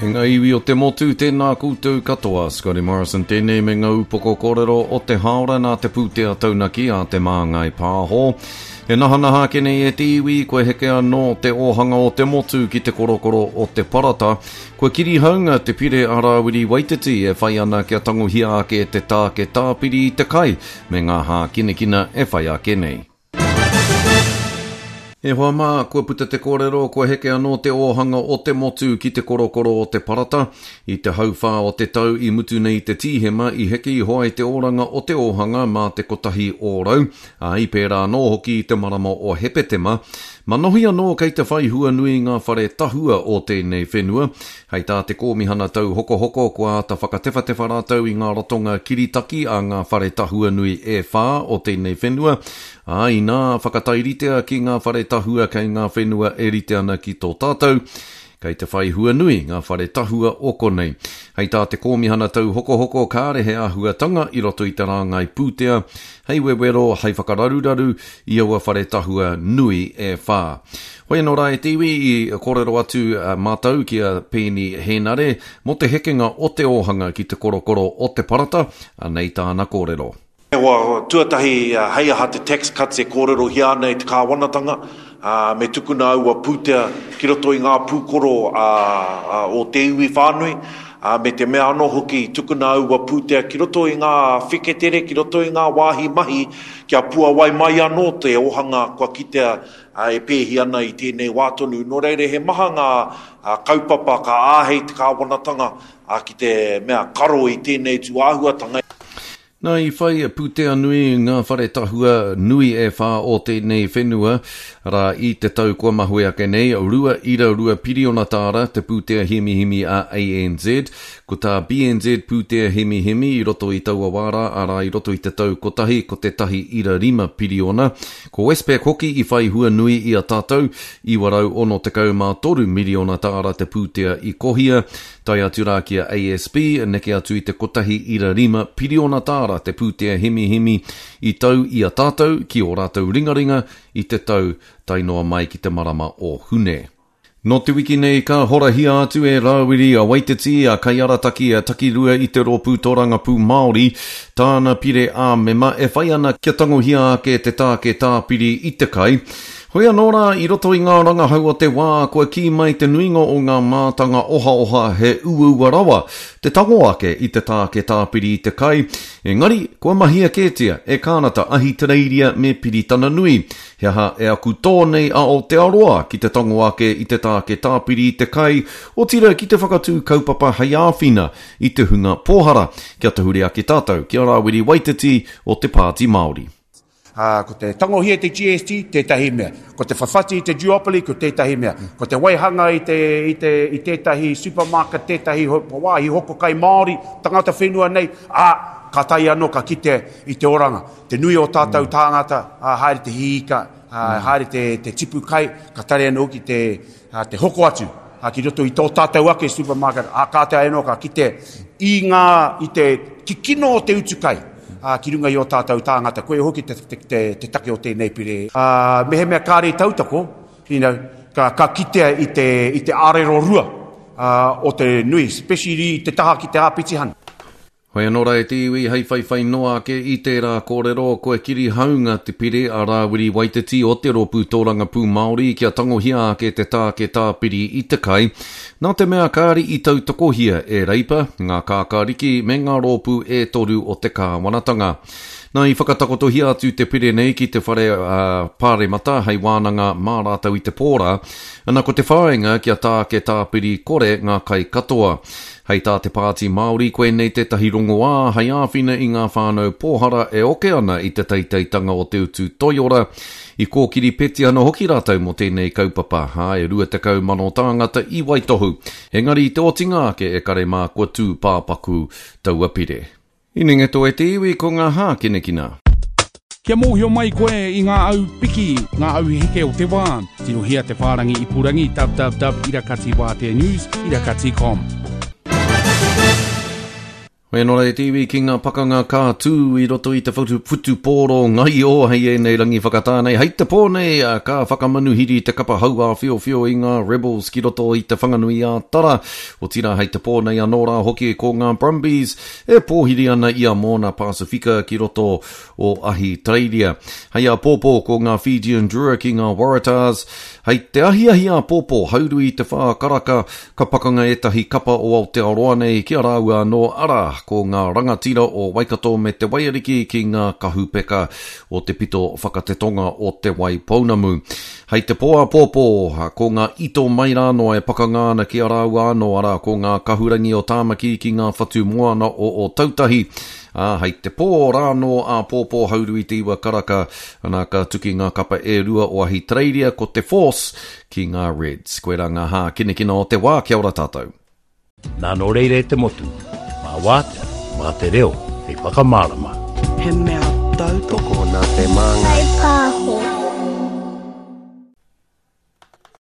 E ngā iwi o te motu, tēnā koutou katoa. Scotty Morrison tēnei me ngā upoko kōrero o te hāora nā te pūtea taunaki a Te Māngai Pāho. E nahanaha ake nei e te iwi, kua heke anō te ōhanga o te motu ki te korokoro o te parata. Kua kirihaunga te pire a Rāwiri Waititi e whai ana kia tangohia ake te tāke tāpiri i te kai me ngā hākinakina e whai ake nei. E hoa mā, kua puta te kōrero, kua heke anō te ōhanga o te motu ki te korokoro o te parata. I te hauwhā o te tau i mutu nei te Tīhema i heke iho ai te oranga o te ōhanga mā te 1%, ā, i pērā anō hoki i te marama o Hepetema. Manohi anō kei te whai hua nui ngā whare tahua o tēnei whenua. Hei tā te Kōmihana Tauhokohoko, kua āta whakatewhatewha rātou i ngā ratonga kiritaki a ngā whare tahua nui e whā o tēnei whenua, ā, inā whakatairitea ki ngā whare tahua kei ngā whenua e rite ana ki tō tātou, kei te whai hua nui ngā whare tahua o konei. Hei tā te Kōmihana Tauhokohoko, kāre he āhuatanga i roto i te rāngai pūtea hei wewero, hei whakararuraru i aua whare tahua nui e whā. Hoi anō rā e te iwi, i kōrero atu mātou ki a Peeni Hēnare mō te hekenga o te ōhanga ki te korokoro o te parata, anei tāna kōrero. He hoa tuatahi hei aha te tax cuts e kōrerohia ana e te kāwanatanga, me tukuna aua pūtea ki roto i ngā pūkoro o te iwi whānui, me te mea anō hoki tukuna aua pūtea ki roto i ngā wheketere, ki roto i ngā wāhi mahi kia puawai mai anō te ōhanga kua kitea e pēhi ana i tēnei wā tonu. Nō reira, he maha ngā kaupapa ka āhei te kāwanatanga ki te mea karo i tēnei tūāhuatanga. Nā, i whai pūtea nui ngā whare tahua nui e whā o tēnei whenua, arā, i te tau kua mahue ake nei, 2.2 piriona tāra te pūtea hemihemi a ANZ. Ko tā BNZ pūtea hemihemi i roto i taua wā rā, arā, i roto i te tau kotahi, ko te 1.5 piriona. Ko Westpac hoki i whai hua nui i a tātou, 963 miriona tāra te pūtea i kohia, tae atu rā ki a ASB, neke atu i te 1.5 piriona tāra te pūtea hemihemi i tau i a tātou ki ō rātou ringaringa i te tau tae noa mai ki te marama o Hune. Nō te wiki nei ka horahia atu e Rāwiri a Waititi, a Kaiarataki a Takirua i te Rōpū Tōrangapū Māori, tāna pire ā-mema e whai ana kia tangohia ake te tāke tāpiri i te kai. Hoi anō rā, i roto i ngā rangahau o te wā, kua kī mai te nuinga o ngā mātanga ohaoha he uaua rawa te tango ake i te tāke tāpiri i te kai, engari kua mahia kētia e Kānata, Ahitereiria me Piritana Nui. He aha e aku tō nei a Aotearoa ki te tango ake i te tāke tāpiri i te kai, otirā ki te whakatū kaupapa hei āwhina i te hunga pōhara, kia tahuri ake tātou ki a Rāwiri Waititi o te Pāti Māori. Ā, ko te tangohia i te GST tētahi mea, ko te whawhati i te duopoly ko tētahi mea, ko te waihanga i te, i te, i tētahi supermarket, tētahi wāhi hoko kai Māori, tangata whenua nei, ā, ka tae anō ka kite i te oranga. Te nui o tātou tāngata, ā, haere te hī ika, ā, haere te, te tipu kai, ka taria anō hoki te, ā, te hoko atu, ā, ki roto i tō tātou ake supermarket, ā, kātahi anō ka kite i ngā, i te kikino o te utu kai, ā, ki runga i ō tātou tāngata. Koia hoki te, te, te, te take o tēnei pire. Ā, mehemea kāre i tautoko, you know, ka, ka kitea i te, i te ārero rua, ā, o te nui, especially i te taha ki te āpitihana. Hoi anō rā e te iwi, hei whaiwhai noa ake i tērā kōrero, kua kirihaunga te pire a Rāwiri Waititi o te Rōpū Tōrangapū Māori kia tangohia ake te tāke tāpiri i te kai, nā te mea kāri i tautokohia e Reipa, ngā kākāriki me ngā rōpū e toru o te kāwanatanga. Nā, i whakatakotohia atu te pire nei ki te whare Pāremata hei wānanga mā rātou i te pō rā, ana ko te whāinga kia tāke tāpiri kore ngā kai katoa. Hei tā te Pāti Māori, koinei tētahi rongoā hei āwhina i ngā whānau pōhara e oke ana i te teiteitanga o te utu toiora. I kōkiri petihana hoki rātou mō tēnei kaupapa, ā, e 20,000 tāngata i waitohu. Engari i te otinga ake e kare mā kua tū pāpaku taua pire. Inengeto e te iwi ko ngā hākinakina. Kia mōhio mai koe i ngā au piki, ngā au heke o te wā, tirohia te whārangi ipurangi www irakatiwāteanews irakati com. Hoi anō rā e te iwi ki ngā pakanga ka tū i roto i te whutupōro ngaio hei ēnei rangi whakatā nei. Hei te pō nei ka whakamanuhiri te kapa hauāwhiowhio i ngā Rebels ki roto i Te Whanganui-ā-Tara. Otirā hei te pō nei anō rā hoki ko ngā Brumbies e pōhiri ana i a Moana Pasifika ki roto o Ahitereiria. Hei āpōpō ko ngā Fijian Drua ki ngā Waratahs. Hei te ahiahi āpōpō, hauru i te whā karaka, ka pakanga ētahi kapa o Aotearoa nei ki a rāua anō, arā, ko ngā rangatira o Waikato me Te Waiariki ki ngā kahupeka o te pito whakatetonga o Te Waipounamu. Hei te pō āpōpō, ko ngā ito mai rānō e pakanga ana ki a rāua anō, arā, ko ngā kahurangi o Tāmaki ki ngā whatu moana o Ōtautahi. Ā, hei te pō rānō āpōpō hauru i te iwa karaka, ana ka tuki ngā kapa e rua o Ahitereiria, ko te Force ki ngā Reds. Koirā ngā hākinakina o te wā, kia ora tātou. Nā nō reira e te motu, mā wātea, mā te reo hei whakamārama. He mea tautoko. Tokona te māngai. Whai pāho.